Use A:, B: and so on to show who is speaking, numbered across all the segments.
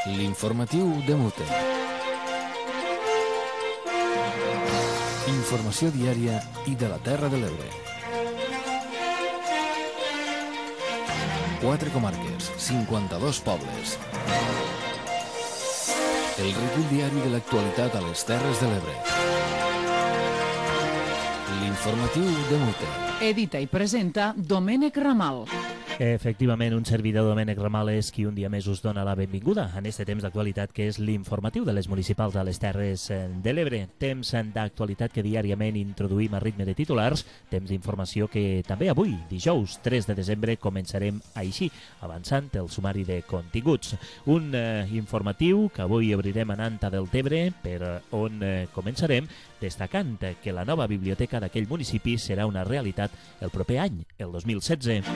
A: L'informatiu de Mute. Informació diària i de la Terra de l'Ebre. 4 comarques, 52 pobles. El recull diari de l'actualitat a les Terres de l'Ebre. L'informatiu de Mute.
B: Edita i presenta Domènec Ramal.
C: Efectivament, un servidor, Domènec Ramal, és qui un dia més us dona la benvinguda en este temps d'actualitat que és l'informatiu de les municipals a les Terres de l'Ebre. Temps d'actualitat que diàriament introduïm a ritme de titulars, temps d'informació que també avui, dijous 3 de desembre, començarem així, avançant el sumari de continguts. Un informatiu que avui obrirem anant a Deltebre, per on començarem destacant que la nova biblioteca d'aquell municipi serà una realitat el proper any, el 2016.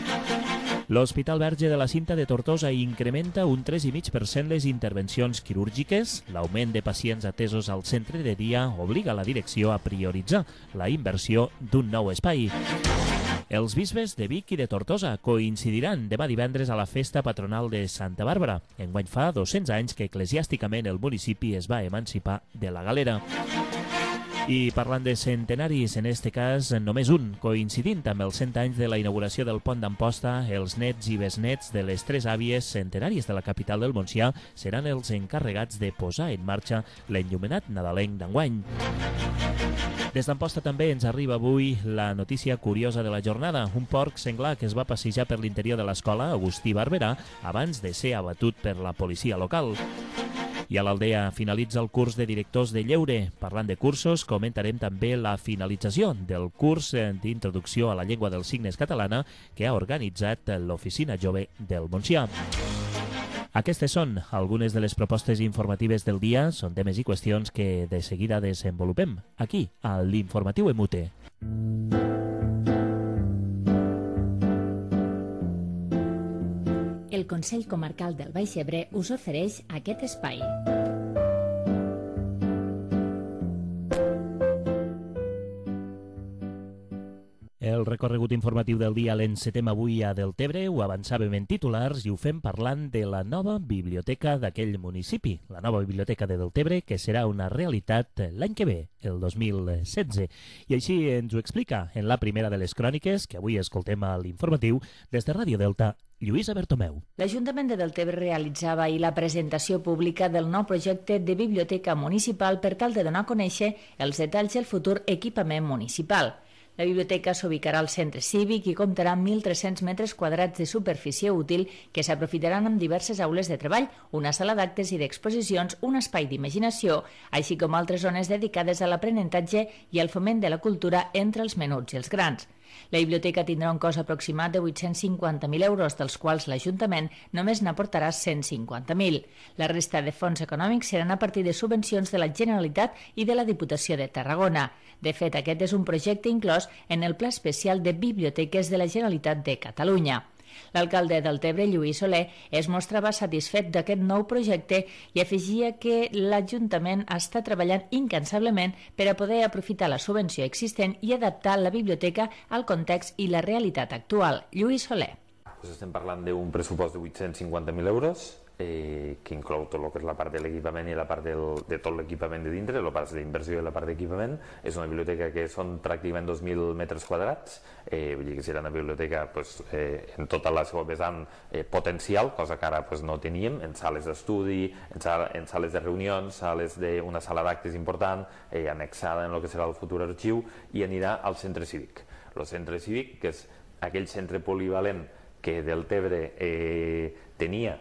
C: L'Hospital Verge de la Cinta de Tortosa incrementa un 3,5% les intervencions quirúrgiques. L'augment de pacients atesos al centre de dia obliga la direcció a prioritzar la inversió d'un nou espai. Els bisbes de Vic i de Tortosa coincidiran demà divendres a la festa patronal de Santa Bàrbara. Enguany fa 200 anys que eclesiàsticament el municipi es va emancipar de la galera. I parlant de centenaris, en este cas només un, coincidint amb els 100 anys de la inauguració del pont d'Amposta, els nets i besnets de les 3 àvies centenàries de la capital del Montsià seran els encarregats de posar en marxa l'enllumenat nadalenc d'enguany. Des d'Amposta també ens arriba avui la notícia curiosa de la jornada, un porc senglar que es va passejar per l'interior de l'escola Agustí Barberà abans de ser abatut per la policia local. I a l'Aldea finalitza el curs de directors de lleure. Parlant de cursos, comentarem també la finalització del curs d'introducció a la llengua dels signes catalana que ha organitzat l'Oficina Jove del Montsià. Aquestes són algunes de les propostes informatives del dia. Són temes i qüestions que de seguida desenvolupem aquí, a l'Informatiu Emute.
D: El Consell Comarcal del Baix Ebre us ofereix aquest espai.
C: El recorregut informatiu del dia l'encetem avui a Deltebre, ho avançàvem en titulars i ho fem parlant de la nova biblioteca d'aquell municipi, la nova biblioteca de Deltebre, que serà una realitat l'any que ve, el 2016. I així ens ho explica en la primera de les cròniques, que avui escoltem a l'informatiu, des de Ràdio Delta, Lluïsa Bertomeu.
D: L'Ajuntament de Deltebre realitzava ahir la presentació pública del nou projecte de biblioteca municipal per tal de donar a conèixer els detalls del futur equipament municipal. La biblioteca s'ubicarà al centre cívic i comptarà amb 1.300 metres quadrats de superfície útil que s'aprofitaran amb diverses aules de treball, una sala d'actes i d'exposicions, un espai d'imaginació, així com altres zones dedicades a l'aprenentatge i al foment de la cultura entre els menuts i els grans. La biblioteca tindrà un cost aproximat de 850.000 euros, dels quals l'Ajuntament només n'aportarà 150.000. La resta de fons econòmics seran a partir de subvencions de la Generalitat i de la Diputació de Tarragona. De fet, aquest és un projecte inclòs en el Pla Especial de Biblioteques de la Generalitat de Catalunya. L'alcalde de Deltebre, Lluís Soler, es mostrava satisfet d'aquest nou projecte i afegia que l'Ajuntament està treballant incansablement per a poder aprofitar la subvenció existent i adaptar la biblioteca al context i la realitat actual. Lluís Soler.
E: Estem parlant d'un pressupost de 850.000 euros, que inclou tot el que és la part de l'equipament i la part de tot l'equipament de dintre, la part d'inversió i la part d'equipament. És una biblioteca que són pràcticament 2.000 metres quadrats, vull dir que serà una biblioteca en tota la seva vessant potencial, cosa que ara no teníem, en sales d'estudi, en sales de reunions, una sala d'actes important, annexada en el que serà el futur arxiu, i anirà al centre cívic. El centre cívic, que és aquell centre polivalent que Deltebre tenia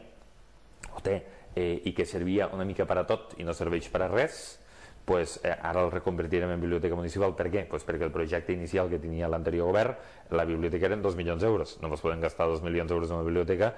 E: o té, i que servia una mica per a tot i no serveix per a res, ara el reconvertirem en biblioteca municipal. Per què? Perquè el projecte inicial que tenia l'anterior govern, la biblioteca eren 2 milions d'euros. No es poden gastar 2 milions d'euros en una biblioteca,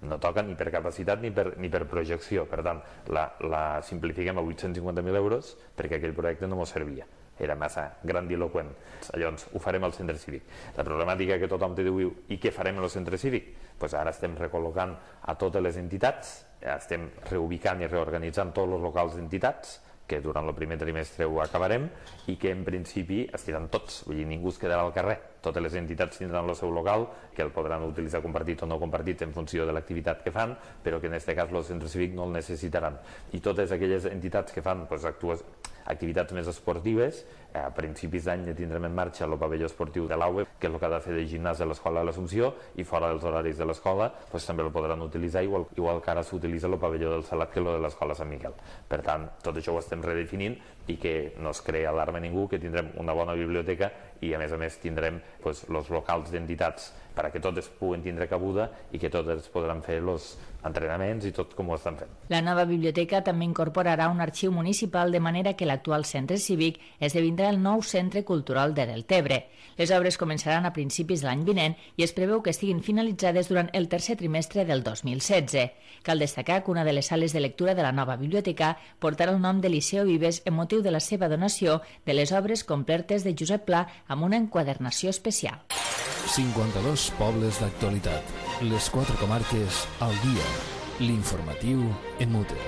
E: no toca ni per capacitat ni per projecció. Per tant, la simplifiquem a 850.000 euros perquè aquell projecte no ens servia. Era massa grandiloquent. Llavors, ho farem al centre cívic. La problemàtica que tothom te diu, i què farem al centre cívic? Ara estem recol·locant a totes les entitats, estem reubicant i reorganitzant tots els locals d'entitats que durant el primer trimestre ho acabarem i que en principi estiran tots, vull dir, ningú es quedarà al carrer. Totes les entitats tindran el seu local, que el podran utilitzar compartit o no compartit en funció de l'activitat que fan, però que en aquest cas els centres cívics no el necessitaran. I totes aquelles entitats que fan activitats més esportives, a principis d'any tindrem en marxa el pavelló esportiu de l'AUE, que és el que ha de fer de gimnàs de l'Escola de l'Assumpció, i fora dels horaris de l'escola també el podran utilitzar, igual que ara s'utilitza el pavelló del Salat que el de l'Escola Sant Miquel. Per tant, tot això ho estem redefinint i que no es crea alarma a ningú, que tindrem una bona biblioteca i a més tindrem els locals d'entitats perquè totes puguen tindre cabuda i que totes podran fer els entrenaments i tot com ho estan fent.
D: La nova biblioteca també incorporarà un arxiu municipal de manera que l'actual centre cívic esdevindrà el nou Centre Cultural de Deltebre. Les obres començaran a principis de l'any vinent i es preveu que estiguin finalitzades durant el tercer trimestre del 2016. Cal destacar que una de les sales de lectura de la nova biblioteca portarà el nom de Liceo Vives en motiu de la seva donació de les obres complertes de Josep Pla amb una enquadernació especial.
A: 52 pobles d'actualitat. Les 4 comarques al dia. L'informatiu en Mute.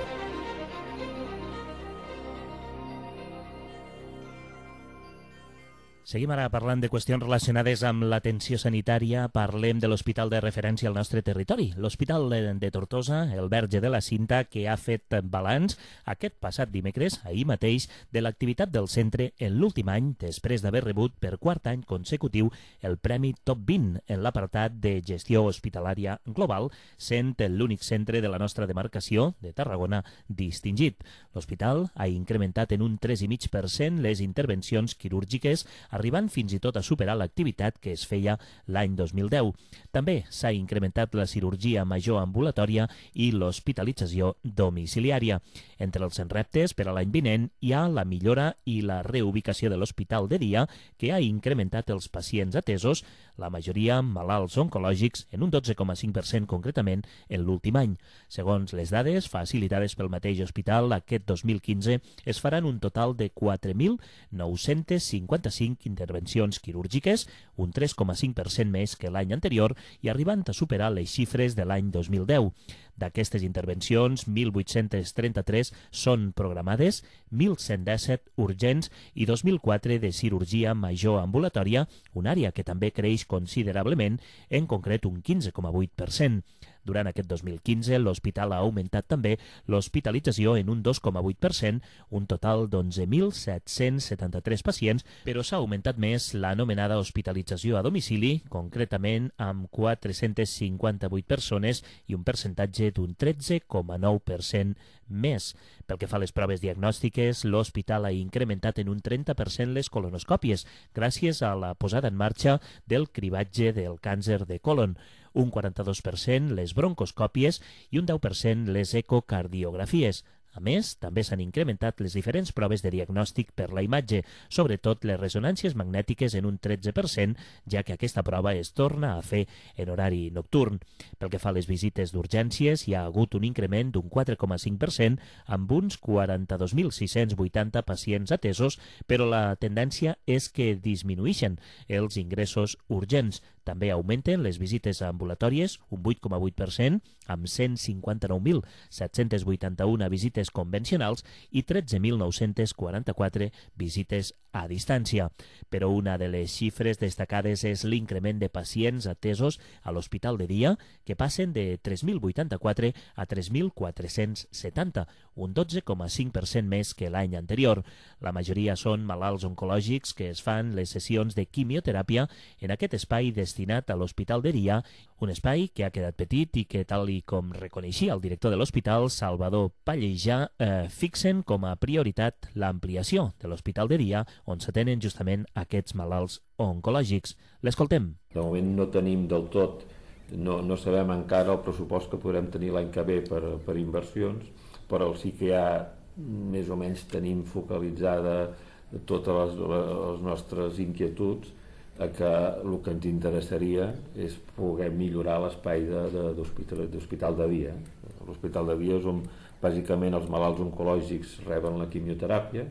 C: Seguim ara parlant de qüestions relacionades amb l'atenció sanitària. Parlem de l'hospital de referència al nostre territori, l'Hospital de Tortosa, el Verge de la Cinta, que ha fet balanç aquest passat dimecres, ahir mateix, de l'activitat del centre en l'últim any, després d'haver rebut per quart any consecutiu el Premi Top 20 en l'apartat de gestió hospitalària global, sent l'únic centre de la nostra demarcació, de Tarragona, distingit. L'hospital ha incrementat en un 3,5% les intervencions quirúrgiques, arribant fins i tot a superar l'activitat que es feia l'any 2010. També s'ha incrementat la cirurgia major ambulatòria i l'hospitalització domiciliària. Entre els reptes per a l'any vinent hi ha la millora i la reubicació de l'hospital de dia, que ha incrementat els pacients atesos, la majoria malalts oncològics, en un 12,5% concretament en l'últim any. Segons les dades facilitades pel mateix hospital, aquest 2015 es faran un total de 4.955 intervencions quirúrgiques, un 3,5% més que l'any anterior i arribant a superar les xifres de l'any 2010. D'aquestes intervencions, 1.833 són programades, 1.117 urgents i 2.004 de cirurgia major ambulatòria, una àrea que també creix considerablement, en concret un 15,8%. Durant aquest 2015, l'hospital ha augmentat també l'hospitalització en un 2,8%, un total d'11.773 pacients, però s'ha augmentat més l'anomenada hospitalització a domicili, concretament amb 458 persones i un percentatge d'un 13,9% més. Pel que fa a les proves diagnòstiques, l'hospital ha incrementat en un 30% les colonoscòpies, gràcies a la posada en marxa del cribatge del càncer de colon, un 42% les broncoscòpies i un 10% les ecocardiografies. A més, també s'han incrementat les diferents proves de diagnòstic per la imatge, sobretot les ressonàncies magnètiques en un 13%, ja que aquesta prova es torna a fer en horari nocturn. Pel que fa a les visites d'urgències, hi ha hagut un increment d'un 4,5% amb uns 42.680 pacients atesos, però la tendència és que disminueixen els ingressos urgents. També augmenten les visites ambulatòries, un 8,8%, amb 159.781 visites convencionals i 13.944 visites a distància. Però una de les xifres destacades és l'increment de pacients atesos a l'hospital de dia, que passen de 3.084 a 3.470, un 12,5% més que l'any anterior. La majoria són malalts oncològics que es fan les sessions de quimioteràpia en aquest espai destinat a l'hospital de dia, un espai que ha quedat petit i que, tal i com reconeixia el director de l'hospital, Salvador Pallejà, fixen com a prioritat l'ampliació de l'hospital de dia on s'atenen justament aquests malalts oncològics. L'escoltem.
F: De moment no tenim del tot, no sabem encara el pressupost que podrem tenir l'any que ve per inversions, però sí que ja més o menys tenim focalitzada totes les nostres inquietuds a que el que ens interessaria és poder millorar l'espai d'hospital de dia. L'hospital de dia és on bàsicament els malalts oncològics reben la quimioteràpia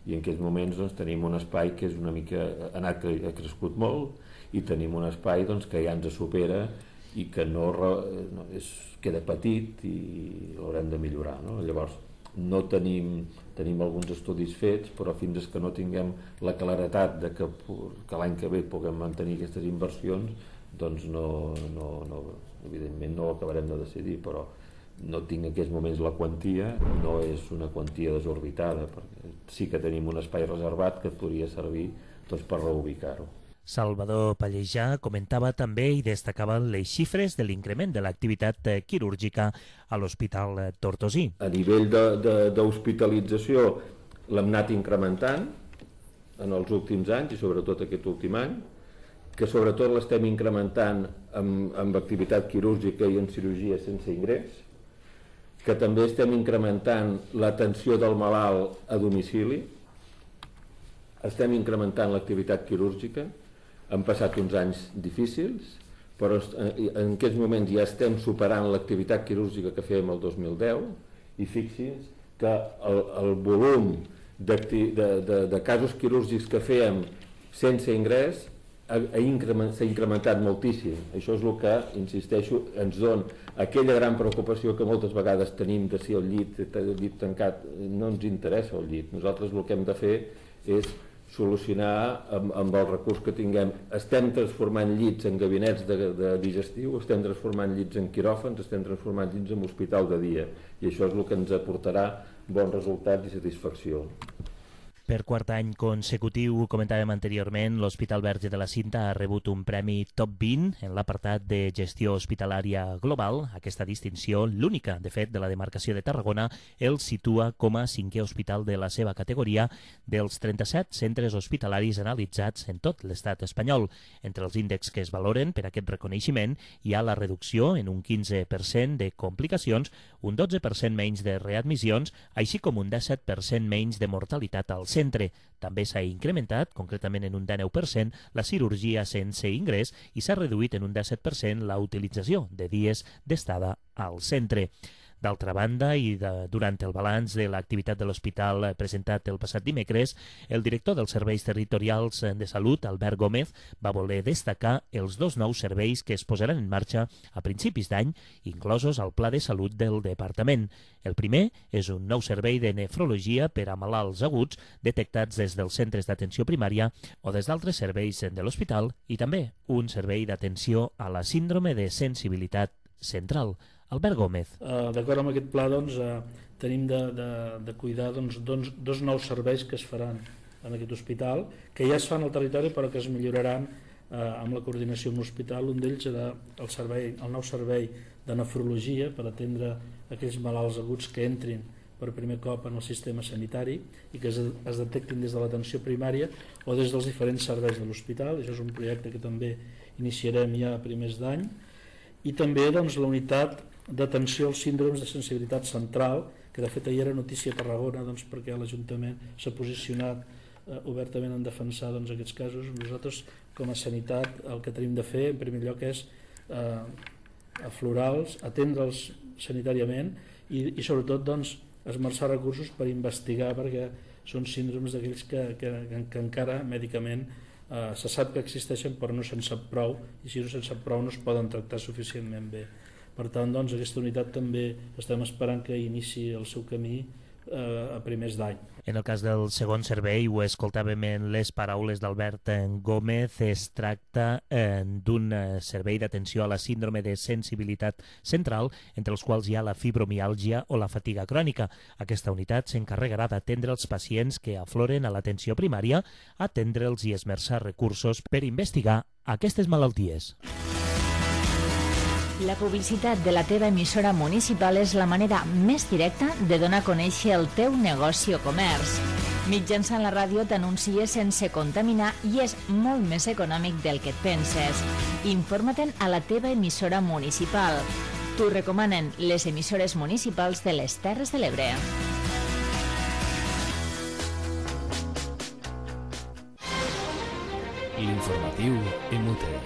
F: i en aquests moments tenim un espai que és una mica, ha crescut molt i tenim un espai que ja ens supera i que queda petit i l'haurem de millorar. Llavors, no tenim alguns estudis fets, però fins que no tinguem la claretat de que l'any que ve puguem mantenir aquestes inversions, doncs evidentment no ho acabarem de decidir, però no tinc en aquests moments la quantia, no és una quantia desorbitada, perquè sí que tenim un espai reservat que podria servir per reubicar-ho.
C: Salvador Pallejà comentava també i destacava les xifres de l'increment de l'activitat quirúrgica a l'Hospital Tortosí.
F: A nivell d'hospitalització l'hem anat incrementant en els últims anys i sobretot aquest últim any, que sobretot l'estem incrementant amb activitat quirúrgica i en cirurgia sense ingrés, que també estem incrementant l'atenció del malalt a domicili, estem incrementant l'activitat quirúrgica. Han passat uns anys difícils, però en aquests moments ja estem superant l'activitat quirúrgica que fèiem el 2010 i fixi's que el volum de casos quirúrgics que fèiem sense ingrés s'ha incrementat moltíssim. Això és el que, insisteixo, ens dona aquella gran preocupació que moltes vegades tenim de si el llit tancat. No ens interessa el llit. Nosaltres el que hem de fer és solucionar amb el recurs que tinguem. Estem transformant llits en gabinets de digestiu, estem transformant llits en quiròfans, estem transformant llits en hospital de dia, i això és el que ens aportarà bons resultats i satisfacció.
C: Per quart any consecutiu, comentàvem anteriorment, l'Hospital Verge de la Cinta ha rebut un premi Top 20 en l'apartat de gestió hospitalària global. Aquesta distinció, l'única, de fet, de la demarcació de Tarragona, el situa com a 5è hospital de la seva categoria dels 37 centres hospitalaris analitzats en tot l'estat espanyol. Entre els índexs que es valoren per aquest reconeixement hi ha la reducció en un 15% de complicacions, un 12% menys de readmissions, així com un 17% menys de mortalitat al centre. També s'ha incrementat, concretament en un 19%, la cirurgia sense ingrés i s'ha reduït en un 17% la utilització de dies d'estada al centre. D'altra banda, i durant el balanç de l'activitat de l'hospital presentat el passat dimecres, el director dels Serveis Territorials de Salut, Albert Gómez, va voler destacar els 2 nous serveis que es posaran en marxa a principis d'any, inclosos al Pla de Salut del Departament. El primer és un nou servei de nefrologia per a malalts aguts detectats des dels centres d'atenció primària o des d'altres serveis de l'hospital, i també un servei d'atenció a la síndrome de sensibilitat central. Albert Gómez.
G: D'acord amb aquest pla, tenim de cuidar 2 nous serveis que es faran en aquest hospital, que ja es fan al territori però que es milloraran amb la coordinació amb l'hospital. Un d'ells serà el nou servei de nefrologia per atendre aquells malalts aguts que entrin per primer cop en el sistema sanitari i que es detectin des de l'atenció primària o des dels diferents serveis de l'hospital. Això és un projecte que també iniciarem ja a primers d'any. I també la unitat d'atenció als síndromes de sensibilitat central, que de fet ahir era notícia a Tarragona perquè l'Ajuntament s'ha posicionat obertament en defensar aquests casos. Nosaltres, com a sanitat, el que tenim de fer, en primer lloc, és aflorals, atendre'ls sanitàriament i sobretot esmerçar recursos per investigar, perquè són síndromes d'aquells que encara mèdicament se sap que existeixen però no se'n sap prou, i si no se'n sap prou no es poden tractar suficientment bé. Per tant, aquesta unitat també estem esperant que iniciï el seu camí a primers d'any.
C: En el cas del segon servei, ho escoltàvem en les paraules d'Albert Gómez, es tracta d'un servei d'atenció a la síndrome de sensibilitat central, entre els quals hi ha la fibromiàlgia o la fatiga crònica. Aquesta unitat s'encarregarà d'atendre els pacients que afloren a l'atenció primària, atendre'ls i esmerçar recursos per investigar aquestes malalties.
D: La publicitat de la teva emissora municipal és la manera més directa de donar a conèixer el teu negoci o comerç. Mitjançant la ràdio t'anuncies sense contaminar i és molt més econòmic del que et penses. Informa-te'n a la teva emissora municipal. T'ho recomanen les emissores municipals de les Terres de l'Ebre.
A: L'informatiu en Muter.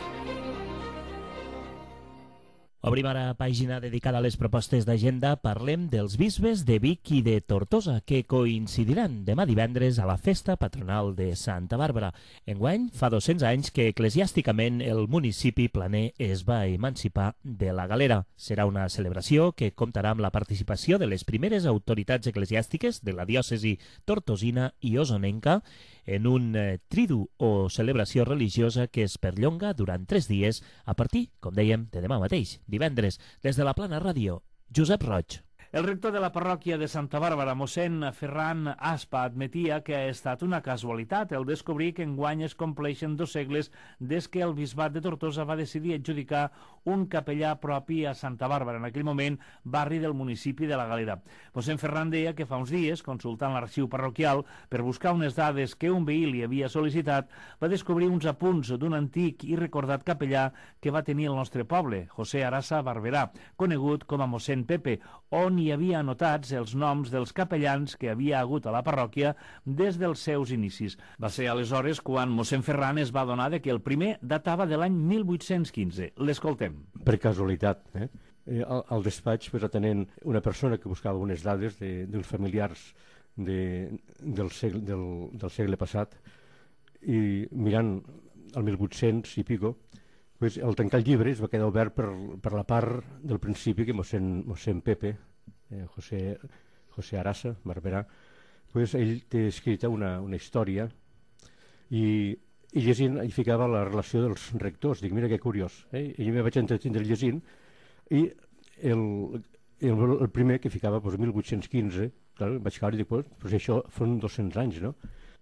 C: Obrim ara pàgina dedicada a les propostes d'agenda. Parlem dels bisbes de Vic i de Tortosa, que coincidiran demà divendres a la festa patronal de Santa Bàrbara. Enguany, fa 200 anys que eclesiàsticament el municipi planer es va emancipar de la galera. Serà una celebració que comptarà amb la participació de les primeres autoritats eclesiàstiques de la diòcesi tortosina i osonenca en un tridu o celebració religiosa que es perllonga durant 3 dies a partir, com dèiem, de demà mateix, divendres. Des de la Plana Ràdio, Josep Roig.
G: El rector de la parròquia de Santa Bàrbara, mossèn Ferran Aspa, admetia que ha estat una casualitat el descobrir que enguany es compleixen 2 segles des que el bisbat de Tortosa va decidir adjudicar un capellà propi a Santa Bàrbara, en aquell moment barri del municipi de la Galera. Mossèn Ferran deia que fa uns dies, consultant l'arxiu parroquial per buscar unes dades que un veí li havia sol·licitat, va descobrir uns apunts d'un antic i recordat capellà que va tenir el nostre poble, José Arasa Barberà, conegut com a mossèn Pepe, on hi havia anotats els noms dels capellans que havia hagut a la parròquia des dels seus inicis. Va ser aleshores quan mossèn Ferran es va adonar que el primer datava de l'any 1815. L'escoltem.
H: Per casualitat, al despatx, atenent una persona que buscava unes dades dels familiars del segle passat, i mirant el 1800 i pico, al tancar el llibre es va quedar obert per la part del principi que mossèn Pepe, José Arasa Barberà, ell té escrita una història i llegint hi ficava la relació dels rectors. Dic, mira que curiós, i jo me vaig entretindre llegint, i el primer que ficava 1815, clar, vaig caure i dic, pues això són 200 anys, no?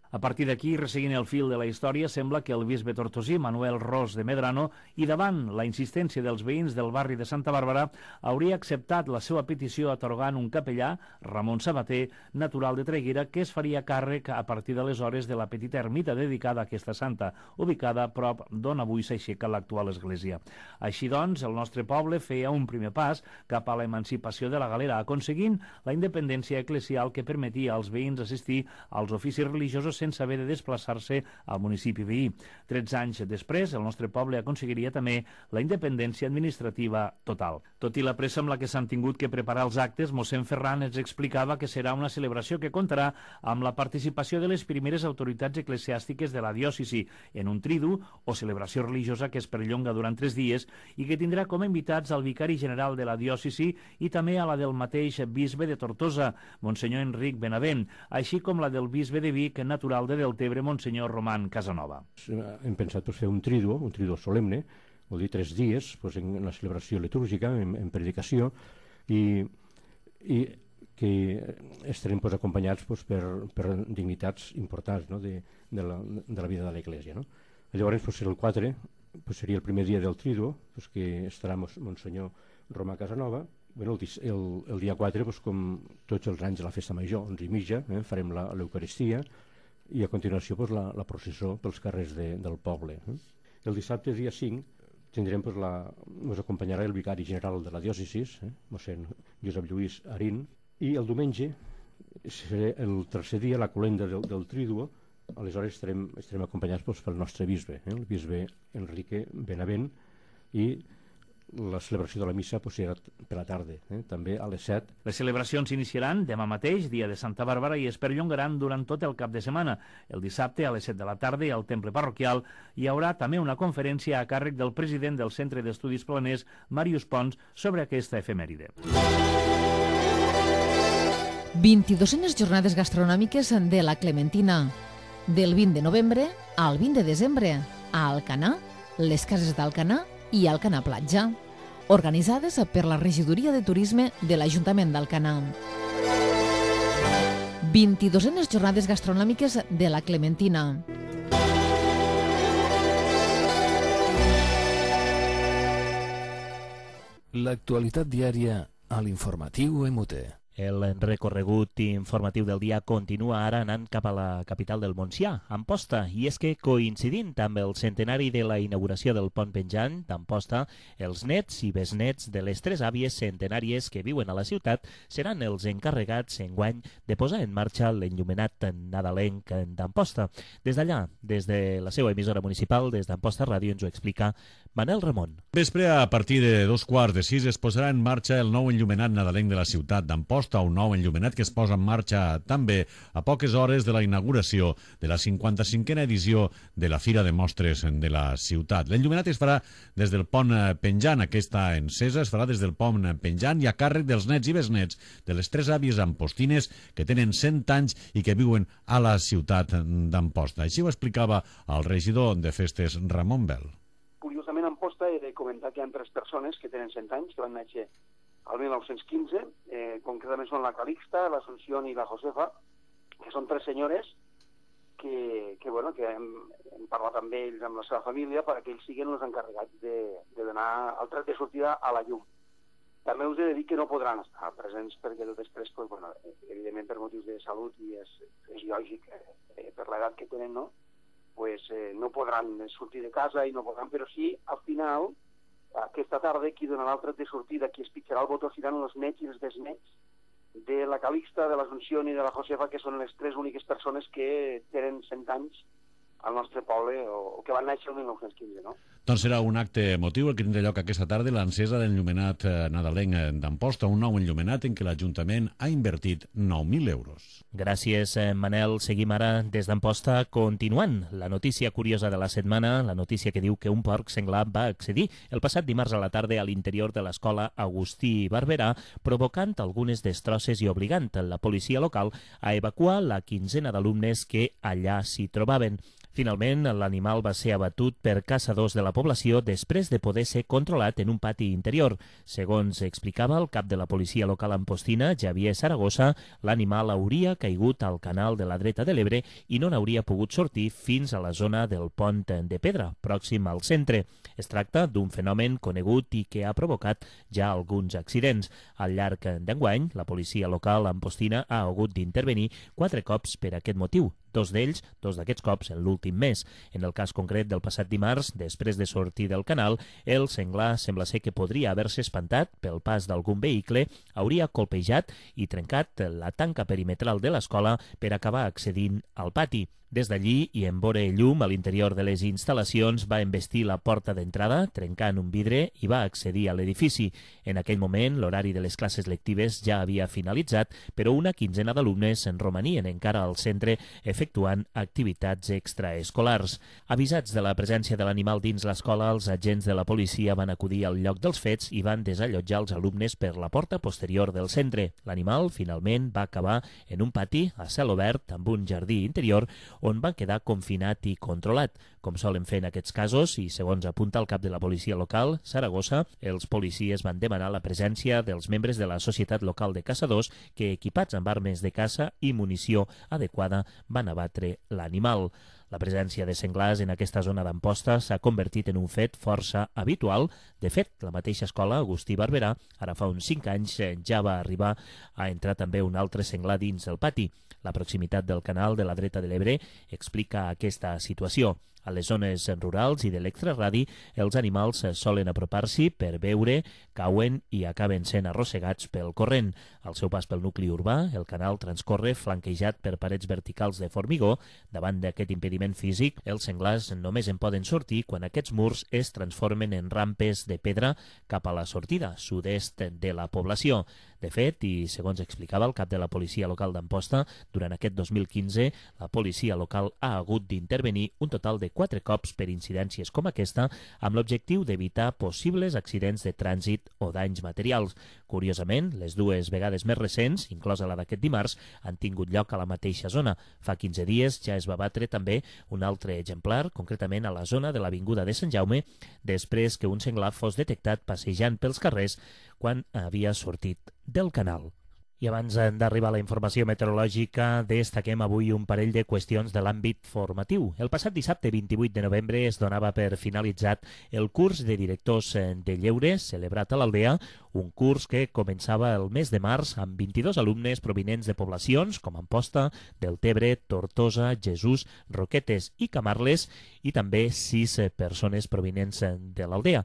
G: A partir d'aquí, resseguint el fil de la història, sembla que el bisbe tortosí, Manuel Ros de Medrano, i davant la insistència dels veïns del barri de Santa Bàrbara, hauria acceptat la seva petició atorgant un capellà, Ramon Sabater, natural de Traiguera, que es faria càrrec a partir d'aleshores de la petita ermita dedicada a aquesta santa, ubicada a prop d'on avui s'aixeca l'actual església. Així doncs, el nostre poble feia un primer pas cap a l'emancipació de la Galera, aconseguint la independència eclesial que permetia als veïns assistir als oficis religiosos sense haver de desplaçar-se al municipi veí. 13 anys després, el nostre poble aconseguiria també la independència administrativa total. Tot i la pressa amb la que s'han tingut que preparar els actes, mossèn Ferran ens explicava que serà una celebració que comptarà amb la participació de les primeres autoritats eclesiàstiques de la diòcesi en un tridu o celebració religiosa que es perllonga durant 3 dies i que tindrà com a invitats al vicari general de la diòcesi i també a la del mateix bisbe de Tortosa, Monsenyor Enric Benavent, així com la del bisbe de Vic, natural de Deltebre, Monsenyor Roman Casanova.
H: Hem pensat fer un triduo solemne, vol dir 3 dies, en la celebració litúrgica, en predicació, i que estarem acompanyats per dignitats importants de la vida de l'Església. Llavors, el 4 seria el primer dia del triduo, que estarà Monsenyor Romà Casanova. El dia 4, com tots els anys de la festa major, 11:30, farem l'Eucaristia, i a continuació la processó pels carrers del poble. El dissabte, dia 5, ens acompanyarà el vicari general de la diòcesi, mossèn Josep Lluís Arín, i el diumenge serà el tercer dia, la colenda del triduo. Aleshores estarem acompanyats pel nostre bisbe, el bisbe Enrique Benavent, i la celebració de la missa serà per la tarda, també a les 7.
G: Les celebracions s'iniciaran demà mateix, dia de Santa Bàrbara, i es perllongaran durant tot el cap de setmana. El dissabte, a les 7 de la tarda, al temple parroquial, hi haurà també una conferència a càrrec del president del Centre d'Estudis Planers, Màrius Pons, sobre aquesta efemèride.
B: 22enes jornades gastronòmiques de la Clementina. Del 20 de novembre al 20 de desembre, a Alcanar, les cases d'Alcanar i Alcanar Platja, organitzades per la Regidoria de Turisme de l'Ajuntament d'Alcanar. 22enes jornades gastronòmiques de la Clementina.
A: L'actualitat diària a l'informatiu EMUTE.
C: El recorregut informatiu del dia continua ara anant cap a la capital del Montsià, Amposta, i és que coincidint amb el centenari de la inauguració del pont penjant d'Amposta, els nets i besnets de les 3 àvies centenàries que viuen a la ciutat seran els encarregats enguany de posar en marxa l'enllumenat nadalenc d'Amposta. Des d'allà, des de la seva emissora municipal, des d'Amposta Ràdio, ens ho explica Manel Ramon.
I: Vespre, a partir de 2:15 es posarà en marxa el nou enllumenat nadalenc de la ciutat d'Amposta, un nou enllumenat que es posa en marxa també a poques hores de la inauguració de la 55a edició de la Fira de Mostres de la ciutat. L'enllumenat es farà des del pont penjant. Aquesta encesa es farà des del pont penjant i a càrrec dels nets i besnets de les 3 àvies ampostines que tenen 100 anys i que viuen a la ciutat d'Amposta. Així ho explicava el regidor de Festes, Ramon Bel.
J: Curiosament, a Amposta he de comentar que hi ha 3 persones que tenen 100 anys, que van néixer al 1915, concretament són la Calixta, l'Assumpció i la Josefa, que són 3 senyores que hem parlat amb ells, amb la seva família, perquè ells siguin els encarregats de donar el tret de sortida a la llum. També us he de dir que no podran estar presents perquè després, evidentment per motius de salut i és lògic per l'edat que tenen, no? No podran sortir de casa i no podran, però sí, al final, aquesta tarda, qui donarà el tret de sortida, qui es pitjarà el botó seran els nets i els besnets de la Calixta, de l'Assumpció i de la Josefa, que són les 3 úniques persones que tenen 100 anys al nostre poble o que van néixer el 1915, no?
I: Doncs serà un acte emotiu el que tindrà lloc aquesta tarda, l'encesa de l'enllumenat nadalenc d'Amposta, un nou enllumenat en què l'Ajuntament ha invertit 9.000 euros.
C: Gràcies, Manel. Seguim ara des d'Amposta continuant. La notícia curiosa de la setmana, la notícia que diu que un porc senglar va accedir el passat dimarts a la tarda a l'interior de l'escola Agustí Barberà, provocant algunes destrosses i obligant la policia local a evacuar la quinzena d'alumnes que allà s'hi trobaven. Finalment, l'animal va ser abatut per caçadors de la població després de poder ser controlat en un pati interior. Segons explicava el cap de la policia local ampostina, Javier Saragossa, l'animal hauria caigut al canal de la dreta de l'Ebre i no n'hauria pogut sortir fins a la zona del pont de Pedra, pròxim al centre. Es tracta d'un fenomen conegut i que ha provocat ja alguns accidents. Al llarg d'enguany, la policia local ampostina ha hagut d'intervenir 4 cops per aquest motiu. Dos d'aquests cops en l'últim mes. En el cas concret del passat dimarts, després de sortir del canal, el senglar sembla ser que podria haver-se espantat pel pas d'algun vehicle, hauria colpejat i trencat la tanca perimetral de l'escola per acabar accedint al pati. Des d'allí, i en veure llum a l'interior de les instal·lacions, va embestir la porta d'entrada, trencant un vidre i va accedir a l'edifici. En aquell moment, l'horari de les classes lectives ja havia finalitzat, però una quinzena d'alumnes en romanien encara al centre efectuant activitats extraescolars. Avisats de la presència de l'animal dins l'escola, els agents de la policia van acudir al lloc dels fets i van desallotjar els alumnes per la porta posterior del centre. L'animal, finalment, va acabar en un pati a cel obert amb un jardí interior on va quedar confinat i controlat. Com solen fer en aquests casos, i segons apunta el cap de la policia local, Saragossa, els policies van demanar la presència dels membres de la Societat Local de Caçadors que, equipats amb armes de caça i munició adequada, van abatre l'animal. La presència de senglars en aquesta zona d'Amposta s'ha convertit en un fet força habitual. De fet, la mateixa escola, Agustí Barberà, ara fa uns 5 anys ja va arribar a entrar també un altre senglar dins el pati. La proximitat del canal de la dreta de l'Ebre explica aquesta situació. A les zones rurals i de l'extraradi, els animals solen apropar-s'hi per beure, cauen i acaben sent arrossegats pel corrent. Al seu pas pel nucli urbà, el canal transcorre flanquejat per parets verticals de formigó. Davant d'aquest impediment físic, els senglars només en poden sortir quan aquests murs es transformen en rampes de pedra cap a la sortida sud-est de la població. De fet, i segons explicava el cap de la policia local d'Amposta, durant aquest 2015 la policia local ha hagut d'intervenir un total de 4 cops per incidències com aquesta amb l'objectiu d'evitar possibles accidents de trànsit o danys materials. Curiosament, les 2 vegades més recents, inclosa la d'aquest dimarts, han tingut lloc a la mateixa zona. Fa 15 dies ja es va batre també un altre exemplar, concretament a la zona de l'Avinguda de Sant Jaume, després que un senglar fos detectat passejant pels carrers quan havia sortit del canal. I abans d'arribar a la informació meteorològica, destaquem avui un parell de qüestions de l'àmbit formatiu. El passat dissabte 28 de novembre es donava per finalitzat el curs de directors de lleure celebrat a l'Aldea, un curs que començava el mes de març amb 22 alumnes provinents de poblacions com Amposta, Deltebre, Tortosa, Jesús, Roquetes i Camarles i també 6 persones provinents de l'Aldea.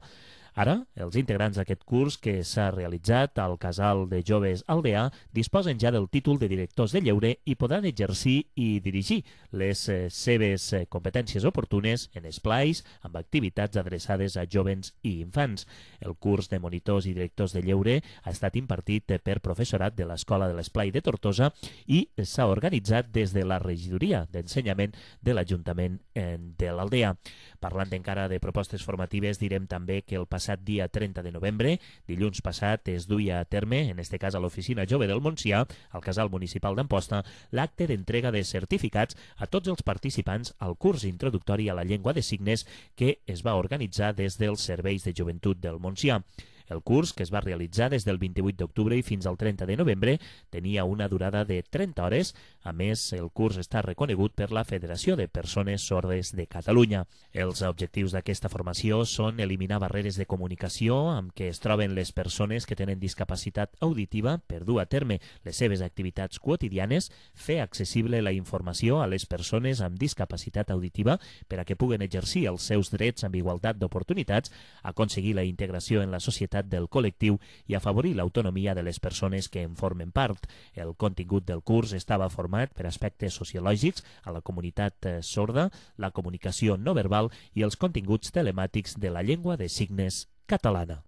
C: Ara, els integrants d'aquest curs que s'ha realitzat al Casal de Joves Aldeà disposen ja del títol de directors de lleure i podran exercir i dirigir les seves competències oportunes en esplais amb activitats adreçades a jovens i infants. El curs de monitors i directors de lleure ha estat impartit per professorat de l'Escola de l'Esplai de Tortosa i s'ha organitzat des de la regidoria d'ensenyament de l'Ajuntament de l'Aldea. Parlant encara de propostes formatives, direm també que el passat dia 30 de novembre, dilluns passat, es duia a terme, en este cas a l'Oficina Jove del Montsià, al Casal Municipal d'Amposta, l'acte d'entrega de certificats a tots els participants al curs introductori a la llengua de signes que es va organitzar des dels serveis de joventut del Montsià. El curs, que es va realitzar des del 28 d'octubre i fins al 30 de novembre, tenia una durada de 30 hores. A més, el curs està reconegut per la Federació de Persones Sordes de Catalunya. Els objectius d'aquesta formació són eliminar barreres de comunicació amb què es troben les persones que tenen discapacitat auditiva per dur a terme les seves activitats quotidianes, fer accessible la informació a les persones amb discapacitat auditiva per a que puguen exercir els seus drets amb igualtat d'oportunitats, aconseguir la integració en la societat del col·lectiu i afavorir l'autonomia de les persones que en formen part. El contingut del curs estava format per aspectes sociològics a la comunitat sorda, la comunicació no verbal i els continguts telemàtics de la llengua de signes catalana.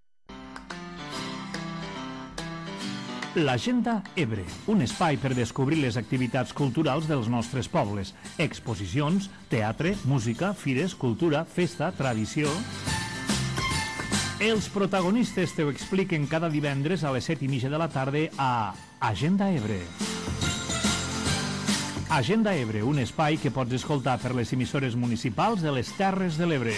K: L'Agenda Ebre, un espai per descobrir les activitats culturals dels nostres pobles. Exposicions, teatre, música, fires, cultura, festa, tradició... Els protagonistes te ho expliquen cada divendres a les 7:30 de la tarda a Agenda Ebre. Agenda Ebre, un espai que pots escoltar per les emissores municipals de les Terres de l'Ebre.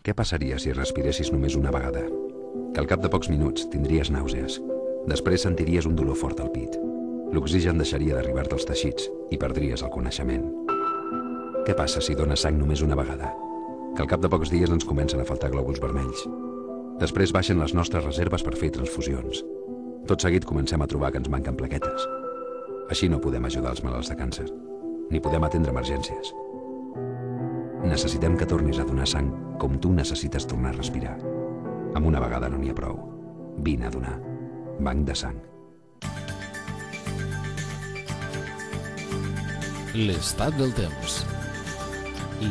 L: Què passaria si respiressis només una vegada? Que al cap de pocs minuts tindries nàusees. Després sentiries un dolor fort al pit. L'oxigen deixaria d'arribar-te als teixits i perdries el coneixement. Què passa si dones sang només una vegada? Que al cap de pocs dies ens comencen a faltar glòbuls vermells. Després baixen les nostres reserves per fer transfusions. Tot seguit comencem a trobar que ens manquen plaquetes. Així no podem ajudar els malalts de càncer, ni podem atendre emergències. Necessitem que tornis a donar sang com tu necessites tornar a respirar. Amb una vegada no n'hi ha prou. Vine a donar. Banc de sang.
A: L'estat del temps.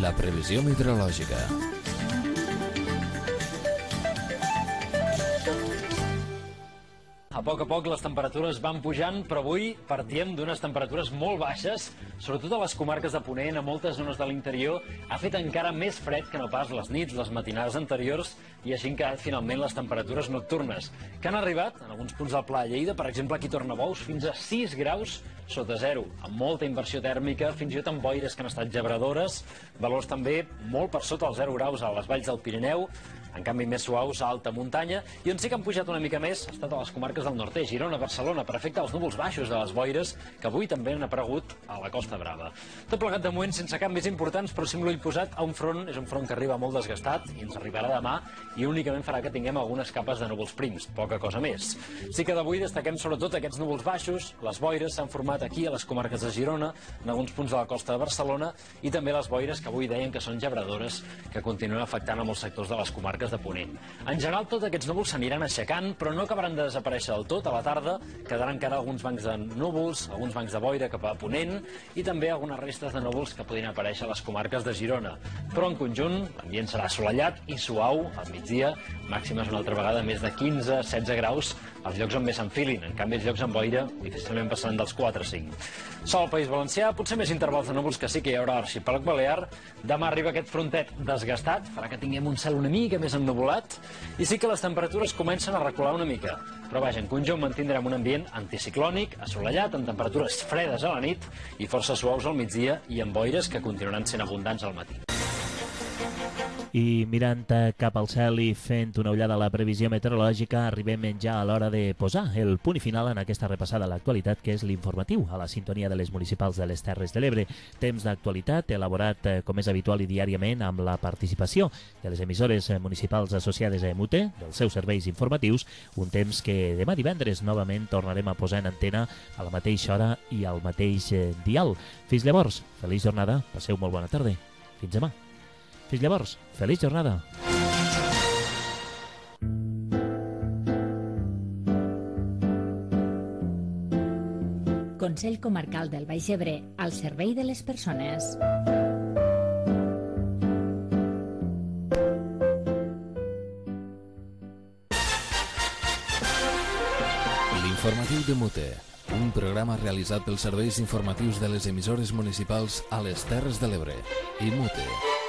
A: La previsió meteorològica.
M: A poc les temperatures van pujant, però avui partíem d'unes temperatures molt baixes, sobretot a les comarques de Ponent, a moltes zones de l'interior. Ha fet encara més fred que no pas les nits, les matinades anteriors, i així han quedat finalment les temperatures nocturnes, que han arribat, en alguns punts del Pla de Lleida, per exemple aquí a Tornabous, fins a 6 graus sota zero, amb molta inversió tèrmica, fins i tot amb boires que han estat gebradores, valors també molt per sota els 0 graus a les valls del Pirineu, en canvi més suaus a alta muntanya, i on sí que han pujat una mica més ha estat a les comarques del nord-est, Girona, Barcelona, per efecte dels núvols baixos de les boires, que avui també han aparegut a la Costa Brava. Tot plegat de moment sense canvis importants, però sí amb l'ull posat a un front, és un front que arriba molt desgastat i ens arribarà demà, i únicament farà que tinguem algunes capes de núvols prims, poca cosa més. Sí que d'avui destaquem sobretot aquests núvols baixos, les boires s'han format aquí a les comarques de Girona, en alguns punts de la costa de Barcelona, i també les boires que avui deien que són gebradores, que continuen afectant a molts sectors de les comarques de Ponent. En general, tots aquests núvols s'aniran aixecant, però no acabaran de desaparèixer del tot. A la tarda quedaran encara alguns bancs de núvols, alguns bancs de boira cap a Ponent, i també algunes restes de núvols que podrien aparèixer a les comarques de Girona. Però en conjunt, l'ambient serà assolellat i suau al migdia, màximes una altra vegada més de 15-16 graus, els llocs on més s'enfilin. En canvi, els llocs amb boira difícilment passaran dels 4 o 5. Sol al País Valencià, potser més intervals de núvols que sí que hi haurà a l'arxipèlag balear. Demà arriba aquest frontet desgastat, farà que tinguem un cel una mica més ennuvolat, i sí que les temperatures comencen a recular una mica. Però vaja, en conjunt mantindrem un ambient anticiclònic, assolellat, amb temperatures fredes a la nit i força suaus al migdia i amb boires que continuaran sent abundants al matí.
C: I mirant cap al cel i fent una ullada a la previsió meteorològica, arribem ja a l'hora de posar el punt final en aquesta repassada a l'actualitat, que és l'informatiu a la sintonia de les municipals de les Terres de l'Ebre. Temps d'actualitat elaborat, com és habitual i diàriament, amb la participació de les emissores municipals associades a EMUTE, dels seus serveis informatius, un temps que demà divendres novament tornarem a posar en antena a la mateixa hora i al mateix dial. Fins llavors, feliç jornada, passeu molt bona tarda. Fins demà. Fins llavors, feliç jornada.
D: Consell Comarcal del Baix Ebre, al servei de les persones.
A: L'informatiu de Mute, un programa realitzat pels serveis informatius de les emissores municipals a les Terres de l'Ebre i Mute.